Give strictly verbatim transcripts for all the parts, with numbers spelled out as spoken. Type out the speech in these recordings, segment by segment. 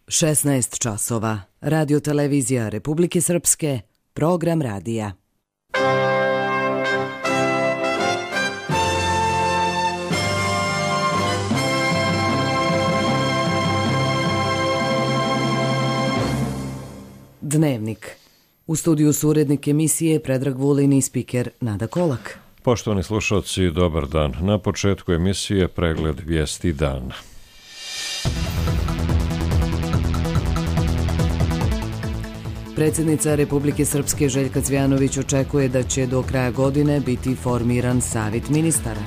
šesnaest časova. Radio televizija Republike Srpske, program radija. Dnevnik. U studiju su urednik emisije Predrag Vulin i spiker Nada Kolak. Poštovani slušalci, dobar dan. Na početku emisije pregled vijesti dana. Predsjednica Republike Srpske Željka Cvijanović očekuje da će do kraja godine biti formiran savjet ministara.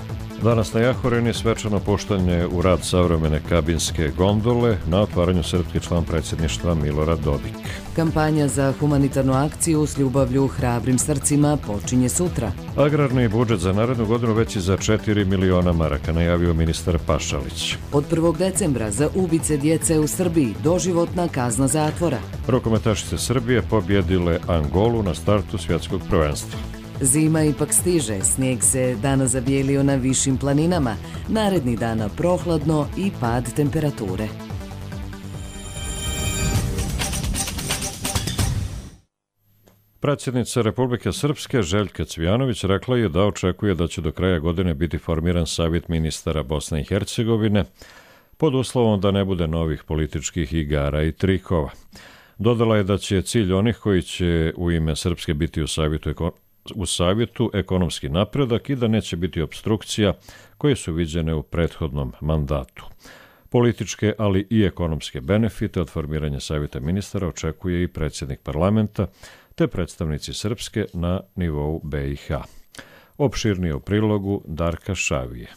Danas na Jahorini svečano puštanje u rad savremene kabinske gondole, na otvaranju srpski član predsjedništva Milorad Dodik. Kampanja za humanitarnu akciju s ljubavlju hrabrim srcima počinje sutra. Agrarni budžet za narednu godinu veći za četiri miliona maraka, najavio ministar Pašalić. Od prvog decembra za ubice djece u Srbiji doživotna kazna zatvora. Rukometašice Srbije pobjedile Angolu na startu svjetskog prvenstva. Zima ipak stiže, snijeg se danas zabijelio na višim planinama, naredni dana prohladno i pad temperature. Predsjednica Republike Srpske Željka Cvijanović rekla je da očekuje da će do kraja godine biti formiran savjet ministara Bosne i Hercegovine, pod uslovom da ne bude novih političkih igara i trikova. Dodala je da će cilj onih koji će u ime Srpske biti u savjetu ekonomije u savjetu ekonomski napredak i da neće biti opstrukcija koje su viđene u prethodnom mandatu. Političke, ali i ekonomske benefite od formiranja savjeta ministara očekuje i predsjednik parlamenta te predstavnici Srpske na nivou be i ha. Opširnije u prilogu Darka Šavije.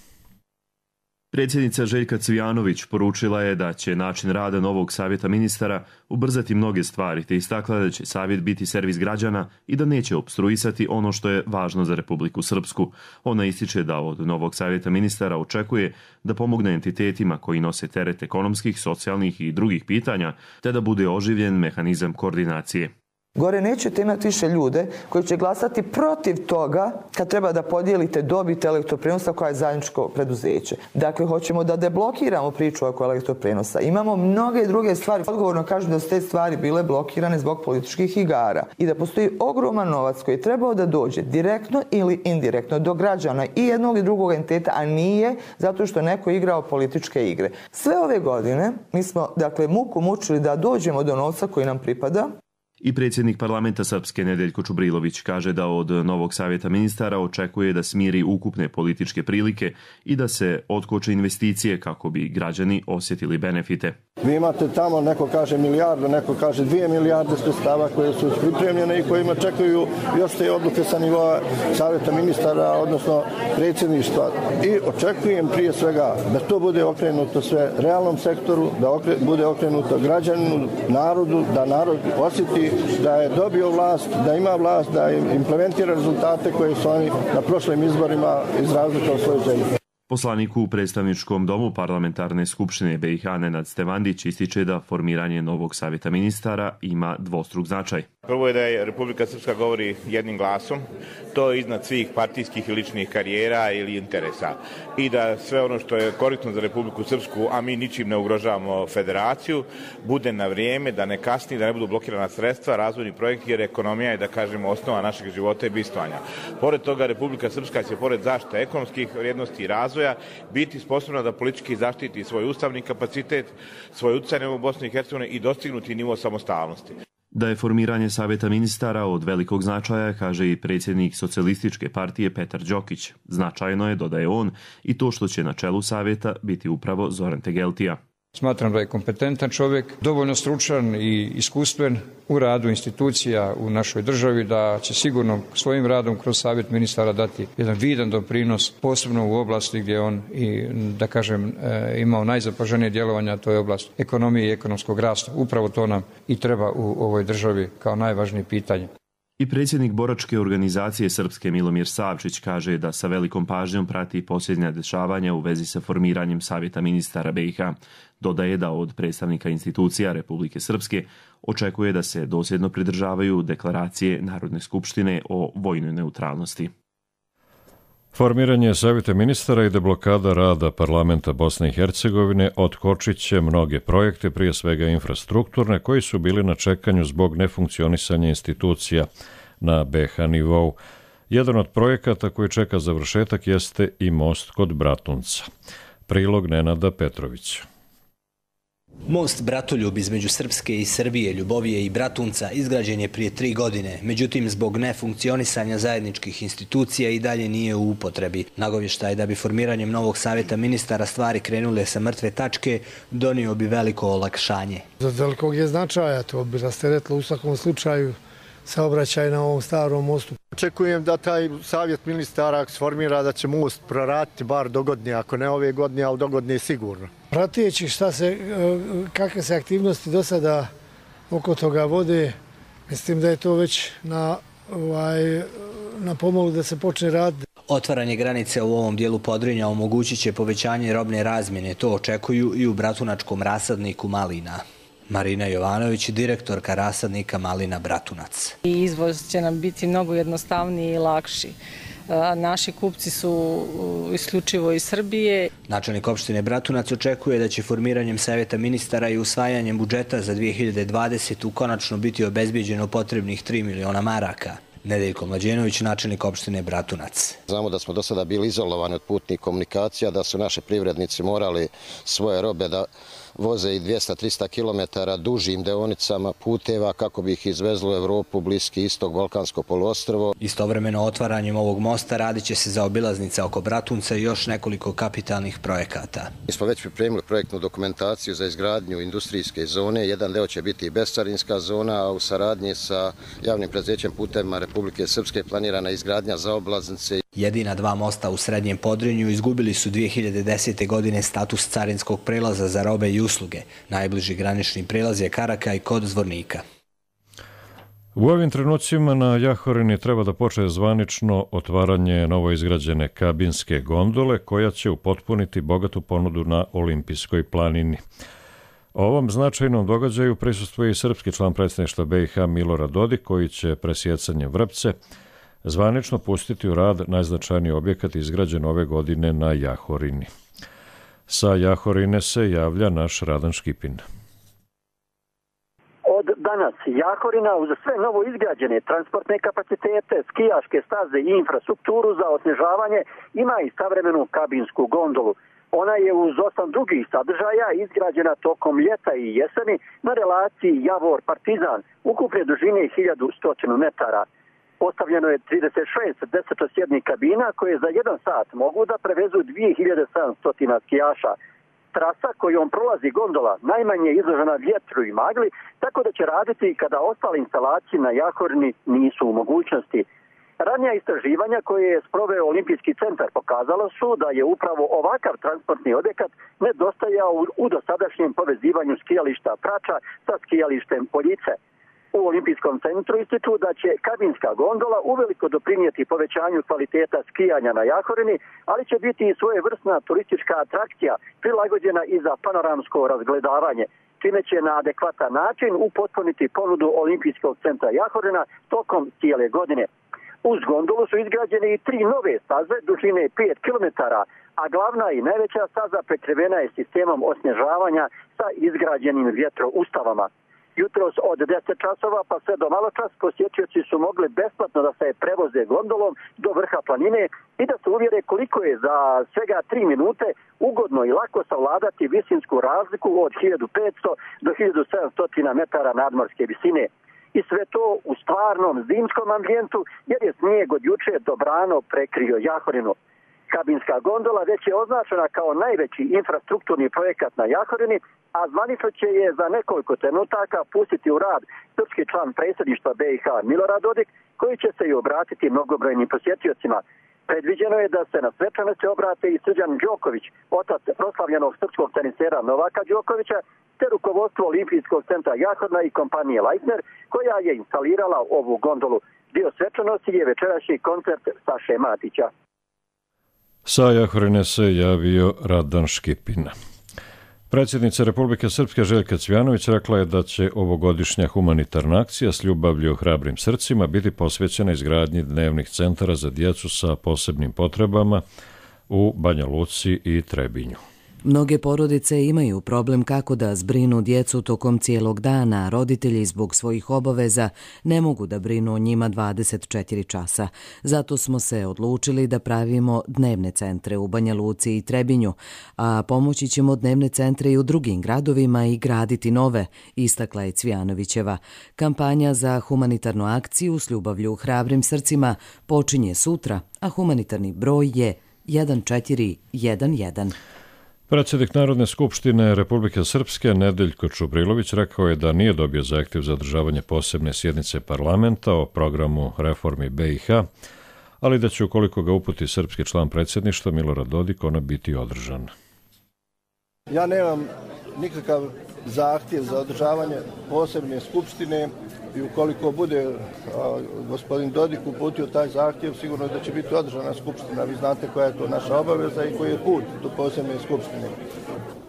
Predsjednica Željka Cvijanović poručila je da će način rada novog savjeta ministara ubrzati mnoge stvari, te istakla da će savjet biti servis građana i da neće opstruisati ono što je važno za Republiku Srpsku. Ona ističe da od novog savjeta ministara očekuje da pomogne entitetima koji nose teret ekonomskih, socijalnih i drugih pitanja, te da bude oživljen mehanizam koordinacije. Gore nećete imati više ljude koji će glasati protiv toga kad treba da podijelite dobit elektroprenosa koja je zajedničko preduzeće. Dakle, hoćemo da deblokiramo priču oko elektroprenosa. Imamo mnoge druge stvari. Odgovorno kažu da su te stvari bile blokirane zbog političkih igara i da postoji ogroman novac koji je trebao da dođe direktno ili indirektno do građana i jednog i drugog entiteta, a nije zato što je neko igrao političke igre. Sve ove godine mi smo, dakle, muku mučili da dođemo do novca koji nam pripada. I predsjednik parlamenta Srpske Nedeljko Čubrilović kaže da od novog savjeta ministara očekuje da smiri ukupne političke prilike i da se otkoče investicije kako bi građani osjetili benefite. Vi imate tamo, neko kaže milijardu, neko kaže dvije milijarde sredstava koje su pripremljene i kojima čekaju još te odluke sa nivoa savjeta ministara, odnosno predsjedništva. I očekujem prije svega da to bude okrenuto sve realnom sektoru, da okre, bude okrenuto građaninu, narodu, da narod osjeti da je dobio vlast, da ima vlast, da implementira rezultate koje su oni na prošlim izborima izrazili kao svoju zemlju. Poslanik u predstavničkom domu parlamentarne skupštine be i ha Nenad Stevandić ističe da formiranje novog savjeta ministara ima dvostruk značaj. Prvo je da je Republika Srpska govori jednim glasom, to je iznad svih partijskih i ličnih karijera ili interesa. I da sve ono što je korisno za Republiku Srpsku, a mi ničim ne ugrožavamo federaciju, bude na vrijeme, da ne kasni, da ne budu blokirana sredstva, razvojni projekti, jer ekonomija je, da kažemo, osnova našeg života i bistvanja. Pored toga, Republika Srpska će, pored zaštite ekonomskih vrijednosti i razvoja, biti sposobna da politički zaštiti svoj ustavni kapacitet, svoj utjecaj u Bosni i Hercegovini i dostignuti nivo samostalnosti. Da je formiranje savjeta ministara od velikog značaja, kaže i predsjednik Socijalističke partije Petar Đokić. Značajno je, dodaje on, i to što će na čelu savjeta biti upravo Zoran Tegeltija. Smatram da je kompetentan čovjek, dovoljno stručan i iskustven u radu institucija u našoj državi, da će sigurno svojim radom kroz savjet ministara dati jedan vidan doprinos, posebno u oblasti gdje on i, da kažem, imao najzapaženije djelovanja, a to je oblast ekonomije i ekonomskog rasta. Upravo to nam i treba u ovoj državi kao najvažnije pitanje. I predsjednik boračke organizacije Srpske Milomir Savčić kaže da sa velikom pažnjom prati posljednja dešavanja u vezi sa formiranjem savjeta ministara be i ha. Dodaje da od predstavnika institucija Republike Srpske očekuje da se dosljedno pridržavaju deklaracije Narodne skupštine o vojnoj neutralnosti. Formiranje savjeta ministara i deblokada rada parlamenta Bosne i Hercegovine otkočit će mnoge projekte, prije svega infrastrukturne, koji su bili na čekanju zbog nefunkcionisanja institucija na be ha nivou. Jedan od projekata koji čeka završetak jeste i most kod Bratunca. Prilog Nenada Petrovića. Most Bratoljub između Srpske i Srbije, Ljubovije i Bratunca izgrađen je prije tri godine, međutim zbog nefunkcionisanja zajedničkih institucija i dalje nije u upotrebi. Nagovještaj da bi formiranjem novog savjeta ministara stvari krenule sa mrtve tačke donio bi veliko olakšanje. Za velikog je značaja, to bi rasteretilo u svakom slučaju saobraćaj na ovom starom mostu. Očekujem da taj savjet ministara sformira da će most proraditi bar dogodnije, ako ne ove godine, ali dogodnije sigurno. Pratijeći šta se, kakve se aktivnosti do sada oko toga vode, mislim da je to već na, ovaj, na pomolu da se počne raditi. Otvaranje granice u ovom dijelu Podrinja omogućit će povećanje robne razmjene, to očekuju i u bratunačkom rasadniku malina. Marina Jovanović, direktorka rasadnika malina Bratunac. Izvoz će nam biti mnogo jednostavniji i lakši. Naši kupci su isključivo iz Srbije. Načelnik opštine Bratunac očekuje da će formiranjem savjeta ministara i usvajanjem budžeta za dvije hiljade dvadesetu konačno biti obezbijeđeno potrebnih tri miliona maraka. Nedeljko Mlađenović, načelnik opštine Bratunac. Znamo da smo do sada bili izolovani od putnih komunikacija, da su naši privrednici morali svoje robe da voze i dvjesto do trista kilometara dužim deonicama puteva kako bi ih izvezlo u Evropu, Bliski istok, Balkansko poluostrvo. Istovremeno otvaranjem ovog mosta radit će se zaobilaznica oko Bratunca i još nekoliko kapitalnih projekata. Mi smo već pripremili projektnu dokumentaciju za izgradnju industrijske zone. Jedan deo će biti i bescarinska zona, a u saradnji sa javnim preduzećem Putevima Republike Srpske planirana izgradnja zaobilaznice. Jedina dva mosta u Srednjem Podrinju izgubili su dvije hiljade desete. godine status carinskog prelaza za robe i usluge. Najbliži granični prelaz je Karakaj kod Zvornika. U ovim trenucima na Jahorini treba da počne zvanično otvaranje novoizgrađene kabinske gondole koja će upotpuniti bogatu ponudu na Olimpijskoj planini. O ovom značajnom događaju prisustvuje i srpski član predsjedništva be i ha Milorad Dodik, koji će presjecanjem vrpce zvanično pustiti u rad najznačajniji objekat izgrađen ove godine na Jahorini. Sa Jahorine se javlja naš Radan Škipin. Od danas Jahorina uz sve novo izgrađene transportne kapacitete, skijaške staze i infrastrukturu za osnježavanje ima i savremenu kabinsku gondolu. Ona je uz osam drugih sadržaja izgrađena tokom ljeta i jeseni na relaciji Javor-Partizan, ukupne dužine hiljadu sto metara. Postavljeno je trideset šest desetosjednih kabina koje za jedan sat mogu da prevezu dvije hiljade sedamsto skijaša. Trasa kojom prolazi gondola najmanje je izložena vjetru i magli, tako da će raditi i kada ostale instalacije na Jahorini nisu u mogućnosti. Ranija istraživanja koje je sproveo Olimpijski centar pokazalo su da je upravo ovakav transportni objekat nedostajao u dosadašnjem povezivanju skijališta Prača sa skijalištem Poljice. U Olimpijskom centru ističu da će kabinska gondola uveliko doprinijeti povećanju kvaliteta skijanja na Jahorini, ali će biti i svojevrsna turistička atrakcija prilagođena i za panoramsko razgledavanje, čime će na adekvatan način upotpuniti ponudu Olimpijskog centra Jahorina tokom cijele godine. Uz gondolu su izgrađene i tri nove staze dužine pet kilometara, a glavna i najveća staza prekrivena je sistemom osnježavanja sa izgrađenim vjetroustavama. Jutros od deset časova pa sve do maločas posjetioci su mogli besplatno da se prevoze gondolom do vrha planine i da se uvjere koliko je za svega tri minute ugodno i lako savladati visinsku razliku od hiljadu petsto do hiljadu sedamsto metara nadmorske visine. I sve to u stvarnom zimskom ambijentu jer je snijeg od juče dobrano prekrio Jahorinu. Kabinska gondola već je označena kao najveći infrastrukturni projekat na Jahorini, a zvanično će je za nekoliko trenutaka pustiti u rad srpski član predsjedništva be i ha Milorad Dodik, koji će se i obratiti mnogobrojnim posjetiocima. Predviđeno je da se na svečanosti obrate i Srđan Đoković, otac proslavljenog srpskog tenisera Novaka Đokovića, te rukovodstvo Olimpijskog centra Jahorina i kompanije Leitner, koja je instalirala ovu gondolu. Dio svečanosti je večerašnji koncert Saše Matića. Sa Jahorine se javio Radan Škipin. Predsjednica Republike Srpske Željka Cvijanović rekla je da će ovogodišnja humanitarna akcija s ljubavlju u hrabrim srcima biti posvećena izgradnji dnevnih centara za djecu sa posebnim potrebama u Banja Luci i Trebinju. Mnoge porodice imaju problem kako da zbrinu djecu tokom cijelog dana, a roditelji zbog svojih obaveza ne mogu da brinu o njima dvadeset četiri časa. Zato smo se odlučili da pravimo dnevne centre u Banja Luci i Trebinju, a pomoći ćemo dnevne centre i u drugim gradovima i graditi nove, istakla je Cvijanovićeva. Kampanja za humanitarnu akciju s ljubavlju u hrabrim srcima počinje sutra, a humanitarni broj je jedan četiri jedan jedan. Predsjednik Narodne skupštine Republike Srpske Nedeljko Čubrilović rekao je da nije dobio zahtjev za održavanje posebne sjednice parlamenta o programu reformi B i H, ali da će ukoliko ga uputi srpski član predsjedništva Milorad Dodik ona biti održana. Ja nemam nikakav zahtjev za održavanje posebne skupštine i ukoliko bude a, gospodin Dodik uputio taj zahtjev, sigurno da će biti održana skupština. Vi znate koja je to naša obaveza i koji je put do posebne skupštine.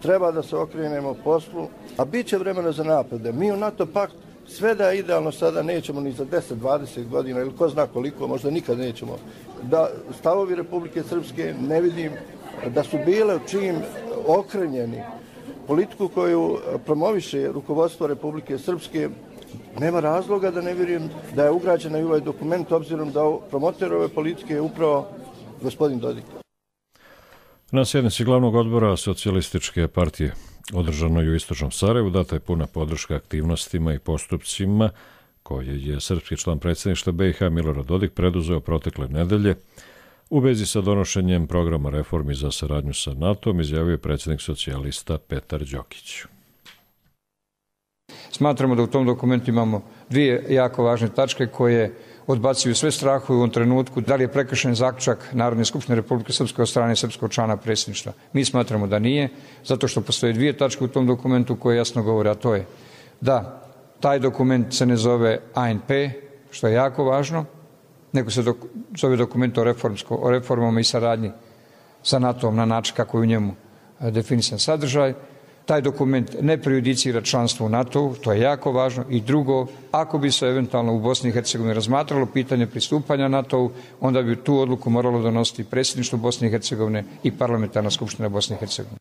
Treba da se okrenemo poslu, a bit će vremena za napade. Mi u NATO pakt sve da je idealno sada nećemo ni za deset dvadeset godina ili ko zna koliko, možda nikad nećemo. Da stavovi Republike Srpske ne vidim da su bile čim okrenjeni politiku koju promoviše rukovodstvo Republike Srpske. Nema razloga da ne vjerujem da je ugrađena i ovaj dokument, obzirom da promoter ove politike je upravo gospodin Dodik. Na sjednici glavnog odbora Socijalističke partije održanoj u Istočnom Sarajevu data je puna podrška aktivnostima i postupcima koje je srpski član predsjedništva B i H Milorad Dodik preduzeo protekle nedelje u vezi sa donošenjem programa reformi za saradnju sa NATO-om, izjavio je predsjednik socijalista Petar Đokić. Smatramo da u tom dokumentu imamo dvije jako važne tačke koje odbacuju sve strahove u ovom trenutku. Da li je prekršen zaključak Narodne skupštine Republike Srpske od strane srpskog člana predsjedništva? Mi smatramo da nije, zato što postoje dvije tačke u tom dokumentu koje jasno govore, a to je da taj dokument se ne zove A N P, što je jako važno, nego se dok, zove dokument o, o reformama i saradnji sa NATO-om na način kako je u njemu definisan sadržaj. Taj dokument ne prejudicira članstvo u NATO-u, to je jako važno. I drugo, ako bi se eventualno u Bosni i Hercegovini razmatralo pitanje pristupanja NATO-u, onda bi tu odluku moralo donositi predsjedništvo Bosne i Hercegovine i parlamentarna skupština Bosne i Hercegovine.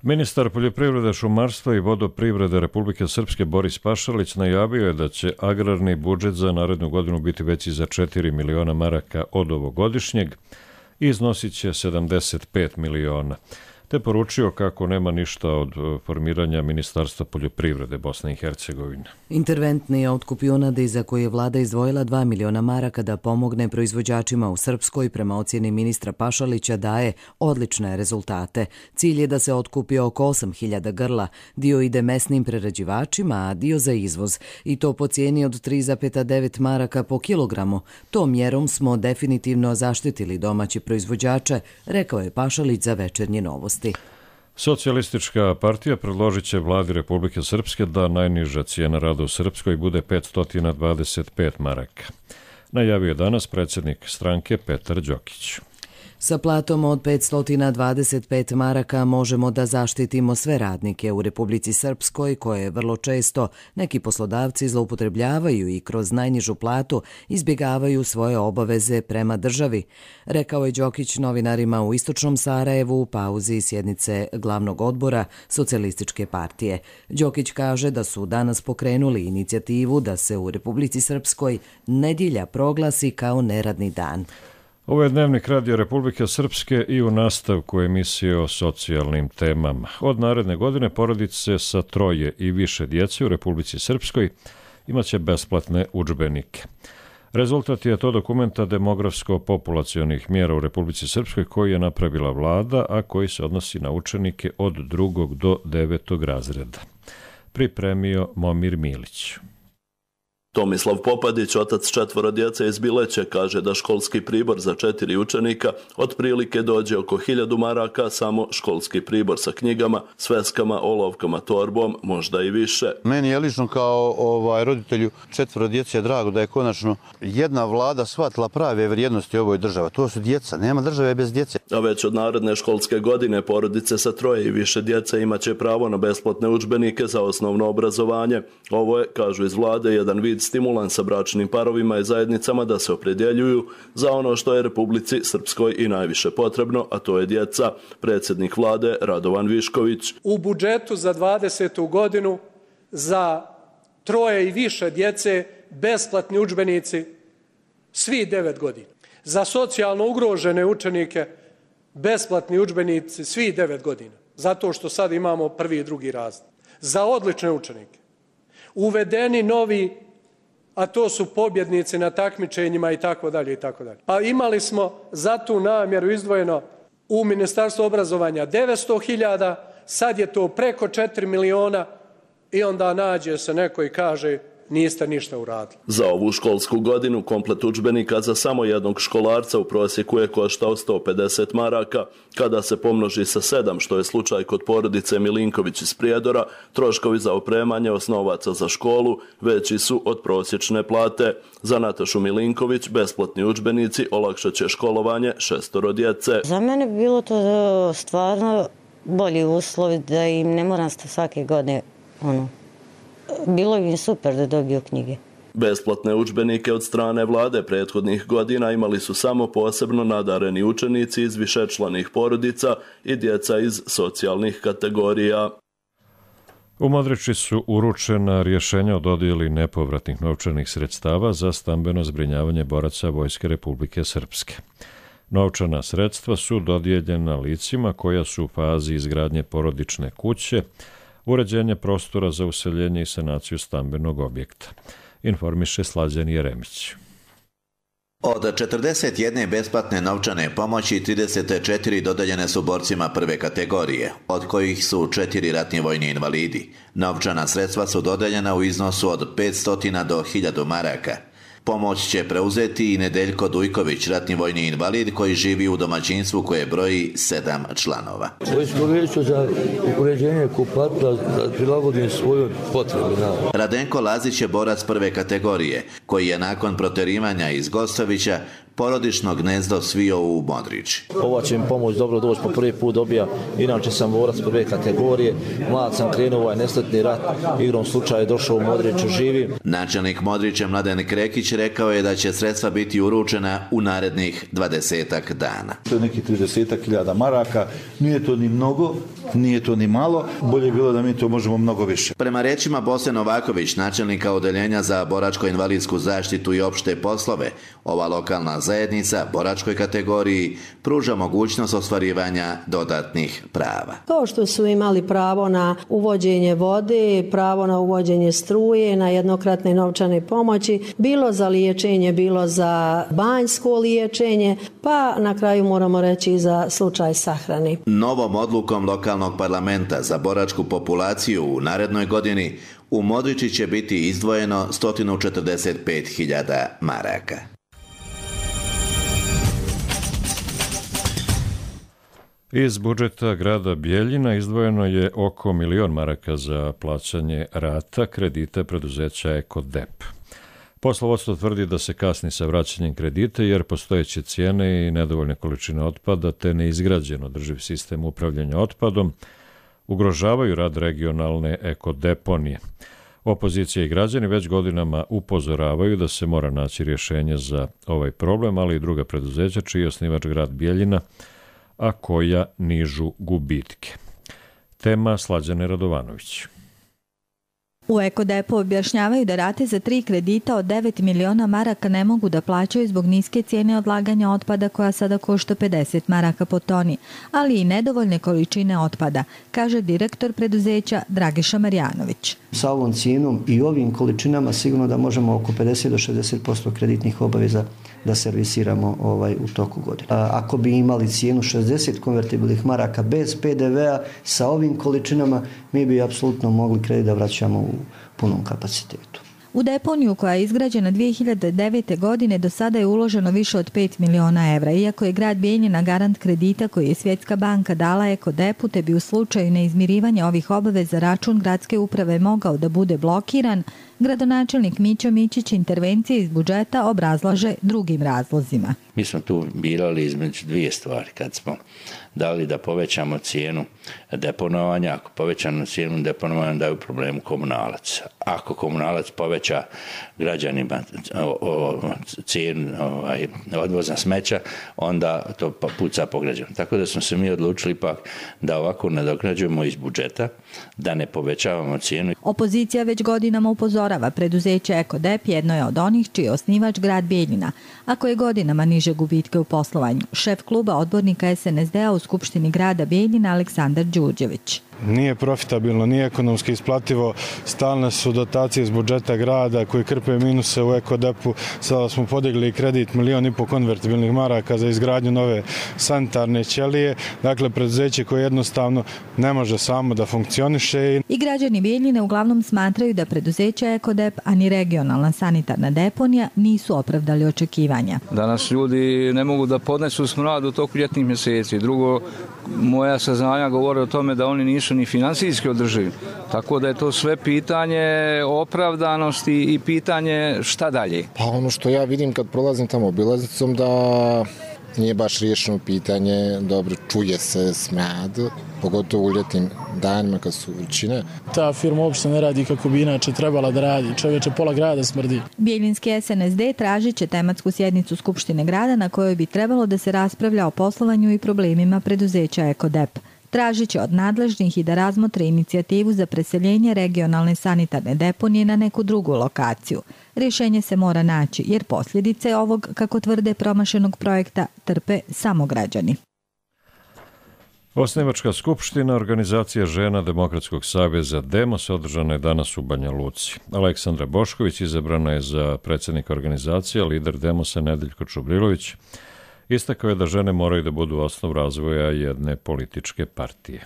Ministar poljoprivrede, šumarstva i vodoprivrede Republike Srpske Boris Pašalić najavio je da će agrarni budžet za narednu godinu biti veći za četiri miliona maraka od ovogodišnjeg i iznosit će sedamdeset pet miliona, te poručio kako nema ništa od formiranja Ministarstva poljoprivrede Bosne i Hercegovine. Interventni otkup junadi za koje je vlada izdvojila dva miliona maraka da pomogne proizvođačima u Srpskoj prema ocjeni ministra Pašalića daje odlične rezultate. Cilj je da se otkupi oko osam hiljada grla, dio ide mesnim prerađivačima, a dio za izvoz, i to po cijeni od tri zarez devet maraka po kilogramu. Tom mjerom smo definitivno zaštitili domaće proizvođače, rekao je Pašalić za Večernje novosti. Socijalistička partija predložit će vladi Republike Srpske da najniža cijena rada u Srpskoj bude petsto dvadeset pet maraka. Najavio je danas predsjednik stranke Petar Đokić. Sa platom od petsto dvadeset pet maraka možemo da zaštitimo sve radnike u Republici Srpskoj, koje vrlo često neki poslodavci zloupotrebljavaju i kroz najnižu platu izbjegavaju svoje obaveze prema državi, rekao je Đokić novinarima u Istočnom Sarajevu u pauzi sjednice glavnog odbora Socijalističke partije. Đokić kaže da su danas pokrenuli inicijativu da se u Republici Srpskoj nedjelja proglasi kao neradni dan. Ovo je Dnevnik Radio Republike Srpske i u nastavku emisije o socijalnim temama. Od naredne godine porodice sa troje i više djece u Republici Srpskoj imaće besplatne udžbenike. Rezultat je to dokumenta demografsko-populacionih mjera u Republici Srpskoj koji je napravila vlada, a koji se odnosi na učenike od drugog do devetog razreda. Pripremio Momir Milić. Tomislav Popadić, otac četvoro djece iz Bileće, kaže da školski pribor za četiri učenika otprilike dođe oko hiljadu maraka, samo školski pribor sa knjigama, sveskama, olovkama, torbom, možda i više. Meni je lično kao ovaj, roditelju četvoro djece drago da je konačno jedna vlada shvatila prave vrijednosti ovoj država. To su djeca, nema države bez djece. A već od naredne školske godine porodice sa troje i više djece imaće pravo na besplatne udžbenike za osnovno obrazovanje. Ovo je, kažu iz vlade, jedan vid stimulansa bračnim parovima i zajednicama da se opredjeljuju za ono što je Republici Srpskoj i najviše potrebno, a to je djeca. Predsjednik vlade Radovan Višković. U budžetu za dvadesetu godinu za troje i više djece besplatni udžbenici svi devet godina. Za socijalno ugrožene učenike besplatni udžbenici svi devet godina. Zato što sad imamo prvi i drugi razred. Za odlične učenike. Uvedeni novi, a to su pobjednici na takmičenjima i tako dalje i tako dalje. Pa imali smo za tu namjeru izdvojeno u Ministarstvu obrazovanja devetsto hiljada, sad je to preko četiri miliona i onda nađe se neko i kaže niste ništa uradili. Za ovu školsku godinu komplet udžbenika za samo jednog školarca u prosjeku je koštao sto pedeset maraka. Kada se pomnoži sa sedam, što je slučaj kod porodice Milinković iz Prijedora, troškovi za opremanje osnovaca za školu veći su od prosječne plate. Za Natašu Milinković besplatni udžbenici olakšat će školovanje šestoro djece. Za mene bi bilo to stvarno bolji uslovi da im ne moram svake godine ono, bilo im super da dobiju knjige. Besplatne udžbenike od strane vlade prethodnih godina imali su samo posebno nadareni učenici iz višečlanih porodica i djeca iz socijalnih kategorija. U Modriči su uručena rješenja o dodjeli nepovratnih novčanih sredstava za stambeno zbrinjavanje boraca Vojske Republike Srpske. Novčana sredstva su dodijeljena licima koja su u fazi izgradnje porodične kuće, uređenje prostora za useljenje i sanaciju stambenog objekta, informiše Slađan Jeremić. Od četrdeset jedne besplatne novčane pomoći, trideset četiri dodeljene su borcima prve kategorije, od kojih su četiri ratni vojni invalidi. Novčana sredstva su dodeljena u iznosu od petsto do hiljadu maraka. Pomoć će preuzeti i Nedeljko Dujković, ratni vojni invalid koji živi u domaćinstvu koje broji sedam članova. Vojsko vijeće za uređenje kupatila da prilagodim svojoj potrebi. Radenko Lazić je borac prve kategorije, koji je nakon proterivanja iz Gostovića porodično gnezdo svio u Modrić. Ova će mi pomoć dobro doći, po prvi put dobija, inače sam borac prve kategorije, mlad sam krenuo ovaj nesretni rat, igrom slučaja došao u Modriću, živim. Načelnik Modrića Mladen Krekić rekao je da će sredstva biti uručena u narednih dvadesetak dana. To je neki tridesetak hiljada maraka, nije to ni mnogo, nije to ni malo, bolje je bilo da mi to možemo mnogo više. Prema rečima Bose Novaković, načelnika odeljenja za boračko-invalidsku zaštitu i opšte poslove, ova lokalna zajednica boračkoj kategoriji pruža mogućnost ostvarivanja dodatnih prava. Kao što su imali pravo na uvođenje vode, pravo na uvođenje struje, na jednokratne novčane pomoći, bilo za liječenje, bilo za banjsko liječenje, pa na kraju moramo reći i za slučaj sahrane. Novom odlukom lokalnog parlamenta za boračku populaciju u narednoj godini u Modriči će biti izdvojeno sto četrdeset pet hiljada maraka. Iz budžeta grada Bijeljina izdvojeno je oko milion maraka za plaćanje rata kredita preduzeća Ekodep. Poslovodstvo tvrdi da se kasni sa vraćanjem kredita jer postojeće cijene i nedovoljne količine otpada te neizgrađen održiv sistem upravljanja otpadom ugrožavaju rad regionalne ekodeponije. Opozicija i građani već godinama upozoravaju da se mora naći rješenje za ovaj problem, ali i druga preduzeća čiji je osnivač grad Bijeljina, a koja nižu gubitke. Tema Slađane Radovanović. U Ekodepu objašnjavaju da rate za tri kredita od devet miliona maraka ne mogu da plaćaju zbog niske cijene odlaganja otpada koja sada košta pedeset maraka po toni, ali i nedovoljne količine otpada, kaže direktor preduzeća Dragiša Marjanović. Sa ovom cijenom i ovim količinama sigurno da možemo oko pedeset do šezdeset posto kreditnih obaveza da servisiramo ovaj u toku godine. A, ako bi imali cijenu šezdeset konvertibilnih maraka bez P D V-a sa ovim količinama, mi bi apsolutno mogli kredit da vraćamo u punom kapacitetu. U deponiju koja je izgrađena dvije hiljade devete. godine do sada je uloženo više od pet miliona evra, iako je grad Bijeljina garant kredita koji je Svjetska banka dala Ekodepu, te bi u slučaju neizmirivanja ovih obaveza račun gradske uprave mogao da bude blokiran, gradonačelnik Mićo Mićić intervencije iz budžeta obrazlaže drugim razlozima. Mi smo tu birali između dvije stvari. Kad smo dali da povećamo cijenu deponovanja, ako povećamo cijenu deponovanja da je u problemu komunalac. Ako komunalac poveća građanima cijenu ovaj, odvoza smeća, onda to puca po građanu. Tako da smo se mi odlučili ipak da ovako nadoknađujemo iz budžeta, da ne povećavamo cijenu. Opozicija već godinama upozorava, preduzeće Ekodep jedno je od onih čiji je osnivač grad Bijeljina, a koje godinama niže gubitke u poslovanju. Šef kluba odbornika es en es de a u Skupštini grada Bijeljina Aleksandar Đurđević. Nije profitabilno, nije ekonomski isplativo, stalne su dotacije iz budžeta grada koji krpe minuse u Ekodepu. Sada smo podigli kredit milijon i po konvertibilnih maraka za izgradnju nove sanitarne ćelije. Dakle, preduzeće koje jednostavno ne može samo da funkcioniše. I građani Bijeljine uglavnom smatraju da preduzeće Ekodep, a ni regionalna sanitarna deponija nisu opravdali očekivanja. Danas ljudi ne mogu da podnesu smrad u toku ljetnih mjeseci. Drugo, moja saznanja govore o tome da oni nisu ni financijski održivi. Tako da je to sve pitanje opravdanosti i pitanje šta dalje. Pa ono što ja vidim kad prolazim tamo obilaznicom da nije baš riješeno pitanje, dobro čuje se smrad, pogotovo u ljetnim danima kad su vrućine. Ta firma uopšte ne radi kako bi inače trebala da radi. Čovječe, pola grada smrdi. Bijeljinski es en es de tražit će tematsku sjednicu Skupštine grada na kojoj bi trebalo da se raspravlja o poslovanju i problemima preduzeća Ekodep. Tražit će od nadležnih i da razmotre inicijativu za preseljenje regionalne sanitarne deponije na neku drugu lokaciju. Rješenje se mora naći jer posljedice ovog, kako tvrde, promašenog projekta trpe samo građani. Osnivačka skupština Organizacija žena Demokratskog saveza Demos održana je danas u Banja Luci. Aleksandra Bošković izabrana je za predsjednika organizacije, lider Demosa Nedeljko Čubrilović istakao je da žene moraju da budu osnov razvoja jedne političke partije.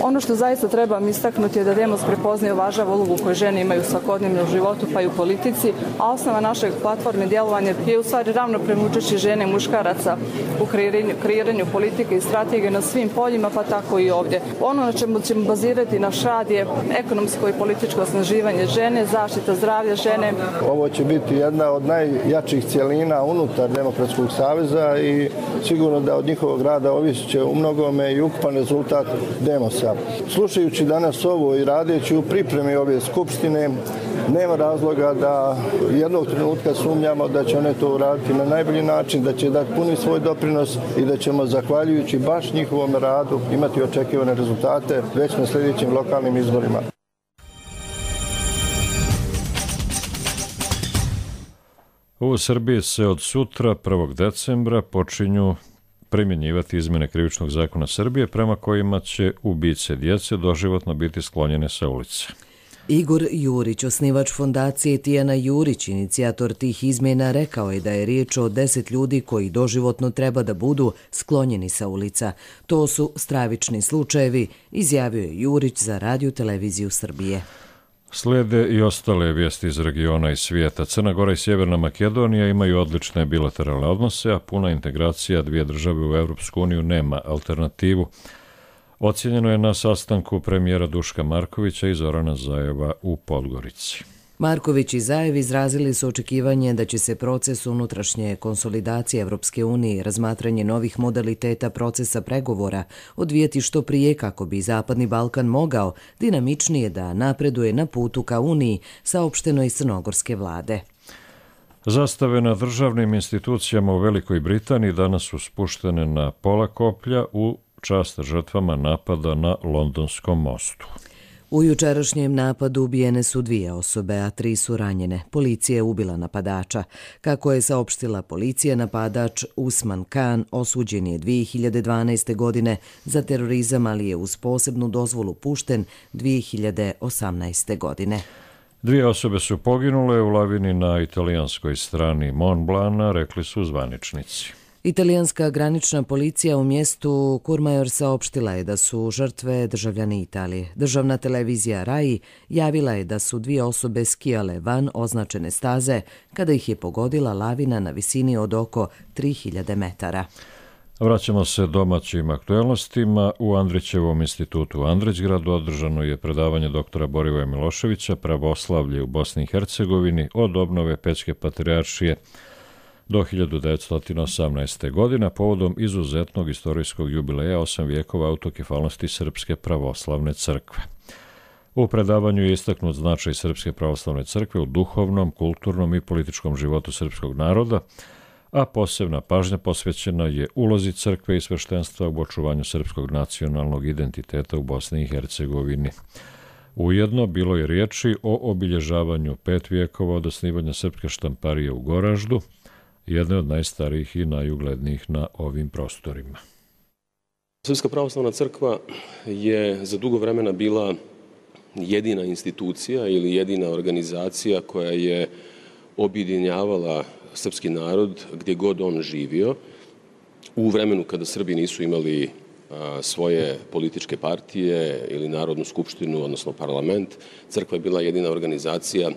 Ono što zaista trebam istaknuti je da Demos prepoznaje i uvažava ulogu koju žene imaju u svakodnevnom životu pa i u politici, a osnova našeg platforme djelovanja je u stvari ravnopravno učešće žene i muškaraca u kreiranju, kreiranju politike i strategije na svim poljima, pa tako i ovdje. Ono na čemu ćemo bazirati naš rad je ekonomsko i političko osnaživanje žene, zaštita zdravlja žene. Ovo će biti jedna od najjačih cijelina unutar Demokratskog saveza i sigurno da od njihovog rada ovisit će u mnogome i ukupan rezultat Demosa. Slušajući danas ovo i radeći u pripremi ove skupštine, nema razloga da jednog trenutka sumnjamo da će one to uraditi na najbolji način, da će dati puni svoj doprinos i da ćemo, zahvaljujući baš njihovom radu, imati očekivane rezultate već na sljedećim lokalnim izborima. U Srbiji se od sutra, prvog decembra, počinju primjenjivati izmene Krivičnog zakona Srbije prema kojima će ubice djece doživotno biti sklonjene sa ulice. Igor Jurić, osnivač fondacije Tijana Jurić, inicijator tih izmjena, rekao je da je riječ o deset ljudi koji doživotno treba da budu sklonjeni sa ulica. To su stravični slučajevi, izjavio je Jurić za Radio televiziju Srbije. Slijede i ostale vijesti iz regiona i svijeta. Crna Gora i Sjeverna Makedonija imaju odlične bilateralne odnose, a puna integracija dvije države u Evropsku uniju nema alternativu. Ocijenjeno je na sastanku premijera Duška Markovića i Zorana Zajeva u Podgorici. Marković i Zajev izrazili su očekivanje da će se proces unutrašnje konsolidacije Evropske unije i razmatranje novih modaliteta procesa pregovora odvijeti što prije kako bi Zapadni Balkan mogao dinamičnije da napreduje na putu ka Uniji, saopšteno iz crnogorske vlade. Zastave na državnim institucijama u Velikoj Britaniji danas su spuštene na pola koplja u čast žrtvama napada na Londonskom mostu. U jučerašnjem napadu ubijene su dvije osobe, a tri su ranjene. Policija je ubila napadača. Kako je saopštila policija, napadač Usman Khan osuđen je dvije hiljade dvanaeste. godine za terorizam, ali je uz posebnu dozvolu pušten dvije hiljade osamnaeste. godine. Dvije osobe su poginule u lavini na italijanskoj strani Mont Blana, rekli su zvaničnici. Italijanska granična policija u mjestu Kurmajor saopštila je da su žrtve državljani Italije. Državna televizija Rai javila je da su dvije osobe skijale van označene staze kada ih je pogodila lavina na visini od oko tri hiljade metara. Vraćamo se domaćim aktuelnostima. U Andrićevom institutu u Andrićgradu održano je predavanje doktora Borivoja Miloševića Pravoslavlje u Bosni i Hercegovini od obnove Pećke patrijaršije do hiljadu devetsto osamnaeste. godine povodom izuzetnog istorijskog jubileja osam vijekova autokefalnosti Srpske pravoslavne crkve. U predavanju je istaknut značaj Srpske pravoslavne crkve u duhovnom, kulturnom i političkom životu srpskog naroda, a posebna pažnja posvećena je ulozi crkve i sveštenstva u očuvanju srpskog nacionalnog identiteta u Bosni i Hercegovini. Ujedno bilo je riječi o obilježavanju pet vijekova od osnivanja srpske štamparije u Goraždu, jedne od najstarijih i najuglednijih na ovim prostorima. Srpska pravoslavna crkva je za dugo vremena bila jedina institucija ili jedina organizacija koja je objedinjavala srpski narod gdje god on živio. U vremenu kada Srbi nisu imali a, svoje političke partije ili Narodnu skupštinu, odnosno parlament, crkva je bila jedina organizacija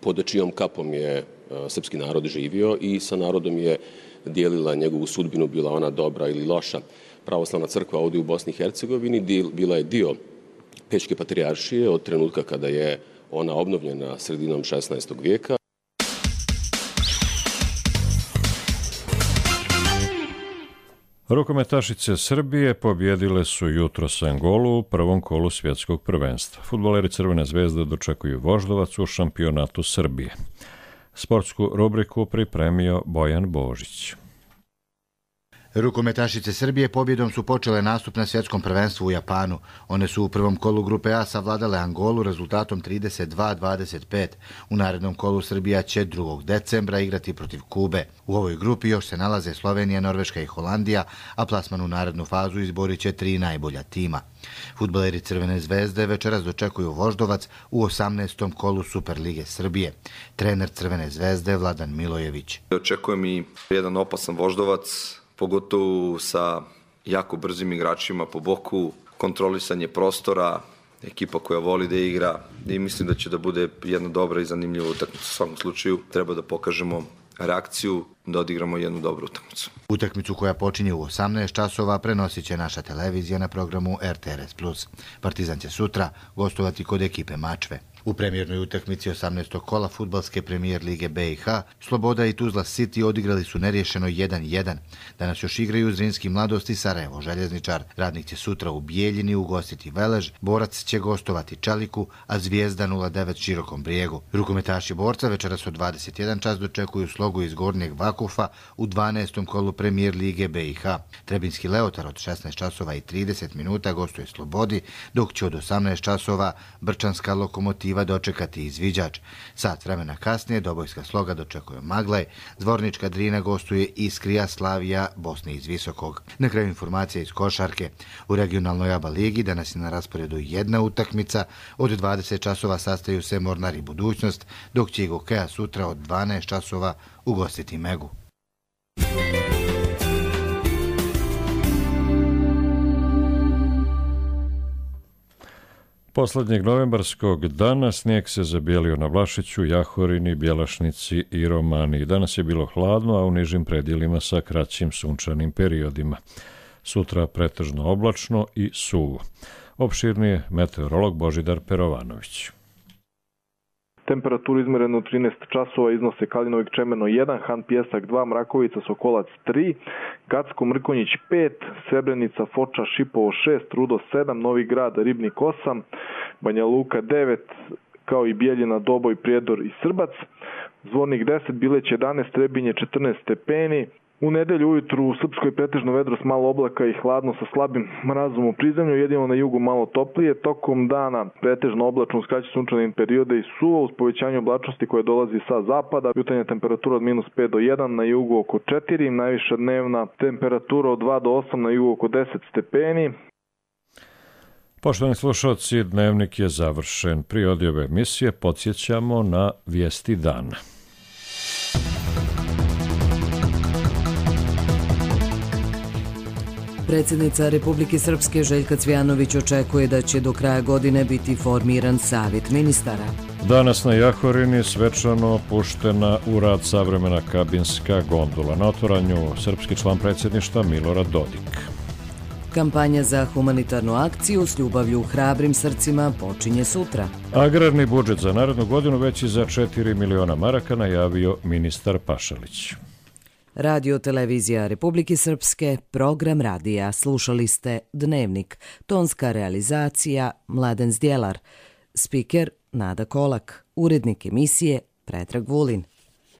pod čijom kapom je a, srpski narod živio i sa narodom je dijelila njegovu sudbinu, bila ona dobra ili loša. Pravoslavna crkva ovdje u Bosni i Hercegovini bila je dio Pećke patrijaršije od trenutka kada je ona obnovljena sredinom šesnaestog vijeka. Rukometašice Srbije pobjedile su jutros Angolu u prvom kolu svjetskog prvenstva. Fudbaleri Crvene zvezde dočekuju Voždovac u šampionatu Srbije. Sportsku rubriku pripremio Bojan Božić. Rukometašice Srbije pobjedom su počele nastup na svjetskom prvenstvu u Japanu. One su u prvom kolu grupe A savladale Angolu rezultatom trideset dva dvadeset pet. U narednom kolu Srbija će drugog decembra igrati protiv Kube. U ovoj grupi još se nalaze Slovenija, Norveška i Holandija, a plasman u narednu fazu izborit će tri najbolja tima. Fudbaleri Crvene zvezde večeras dočekuju Voždovac u osamnaestom kolu Superlige Srbije. Trener Crvene zvezde Vladan Milojević. Očekujem i jedan opasan Voždovac, pogotovo sa jako brzim igračima po boku, kontrolisanje prostora, ekipa koja voli da igra i mislim da će da bude jedna dobra i zanimljiva utakmica. U svakom slučaju treba da pokažemo reakciju, da odigramo jednu dobru utakmicu. Utakmicu koja počinje u osamnaest časova prenosit će naša televizija na programu R T R S plus. Partizan će sutra gostovati kod ekipe Mačve. U premijernoj utakmici osamnaestog kola fudbalske premijer lige B i H, Sloboda i Tuzla City odigrali su neriješeno jedan jedan. Danas još igraju Zrinski Mladost i Sarajevo Željezničar. Radnik će sutra u Bijeljini ugostiti Velež, Borac će gostovati Čaliku, a Zvijezda nula devet Širokom Brijegu. Rukometaši Borca večeras od dvadeset jedan čas dočekuju Slogu iz Gornjeg Vakufa u dvanaestom kolu premijer lige B i H. Trebinski Leotar od šesnaest časova i trideset minuta gostuje Slobodi, dok će od osamnaest časova Brčanska Lokomotiva dočekati izviđač. Sat vremena kasnije Dobojska Sloga dočekuje Maglaj, Zvornička Drina gostuje Iskrija Slavija Bosne iz Visokog. Na kraju informacija iz košarke. U regionalnoj A B A ligi danas je na rasporedu jedna utakmica, od dvadeset časova sastaju se Mornar i Budućnost, dok će Gokeja sutra od dvanaest časova ugostiti Megu. Poslednjeg novembarskog dana snijeg se zabijelio na Vlašiću, Jahorini, Bjelašnici i Romani. Danas je bilo hladno, a u nižim predjelima sa kraćim sunčanim periodima. Sutra pretežno oblačno i suvo. Opširnije meteorolog Božidar Perovanović. Temperaturu izmerenu u trinaest časova iznose Kalinovik Čemerno jedan, Han Pjesak dva, Mrakovica Sokolac tri, Gacko Mrkonjić pet, Srebrenica Foča Šipovo šest, Rudo sedam, Novi Grad Ribnik osam, Banja Luka devet, kao i Bijeljina, Doboj, Prijedor i Srbac, Zvornik deset, Bileć jedanaest, Trebinje četrnaest stepeni. U nedelju ujutru u Srpskoj pretežno vedro s malo oblaka i hladno sa slabim mrazom u prizemlju, jedino na jugu malo toplije. Tokom dana pretežno oblačno uz kraće sunčane periode i suvo uz povećanje oblačnosti koje dolazi sa zapada. Jutarnja temperatura od minus pet do jedan, na jugu oko četiri, najviša dnevna temperatura od dva do osam, na jugu oko deset stepeni. Poštovani slušalci, dnevnik je završen. Pri ove emisije podsjećamo na vijesti dana. Predsjednica Republike Srpske Željka Cvijanović očekuje da će do kraja godine biti formiran savjet ministara. Danas na Jahorini svečano puštena u rad savremena kabinska gondola. Na otvaranju srpski član predsjedništva Milorad Dodik. Kampanja za humanitarnu akciju s ljubavlju u hrabrim srcima počinje sutra. Agrarni budžet za narednu godinu veći za četiri miliona maraka najavio ministar Pašalić. Radio televizija Republike Srpske, program radija. Slušali ste Dnevnik, tonska realizacija Mladen Zdjelar, spiker Nada Kolak, urednik emisije Predrag Vulin.